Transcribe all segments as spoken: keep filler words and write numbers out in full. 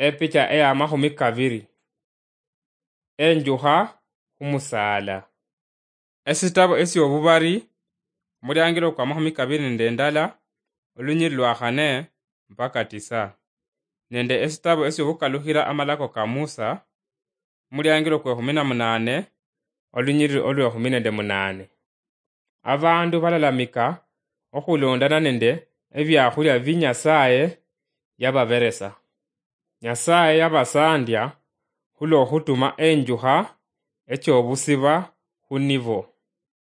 Epicha eya mahumi kabiri. Enjukha khumusaala. Esitabo esyobubari, omuliangilo kwa mahumi kabiri nende ndala, olunyiri lwa khane mpaka tisa. Nende esitabo esyobukalukhira amalako ka Musa, omuliangilo kwe khumi na munane, olunyiri olwe khumi nende munane. Abandu balalamika okhulondana nende ebiakhulia bi Nyasaye yababeresa. Nyasaye yabasandia khulwokhutuma enjukha echobusiba khunibo.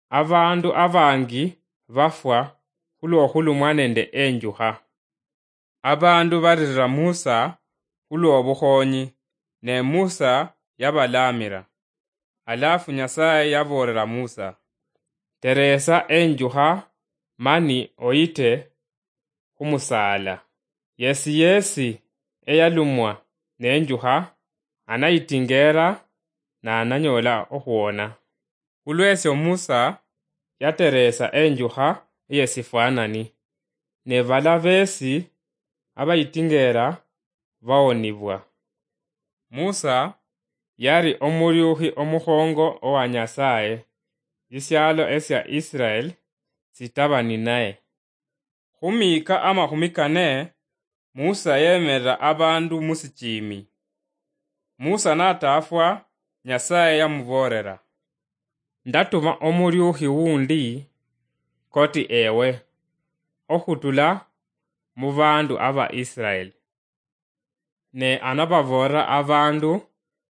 Abandu abangi bafwa khulwokhulumwa nende enjukha. Abandu baririra Musa khulwobukhonyi, ne Musa yabalamira. Alafu Nyasaye yaboolera Musa, "Teresa enjukha mani oyite khumusaala. Yesi yesi eyalumwa nenjukha anayitingera nananyola okhwona." Khulwesyo Musa yateresa enjukha eyesifwanani, ne bala besi abayitingera bawonibwa. Musa yari omuryukhi omukhongo owa Nyasaye, sisialo esya Israel sitaba ninaye. Khumiika amakhumi kane, Musa yemerera abandu musichimi. Musa natafwa, Nyasaye yamuboolera, "Ndatuma omuryukhi wundi koti ewe, okhutula mubandu aba Israel. Ne anababoolera abandu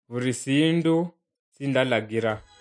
buli sindu sindalagira."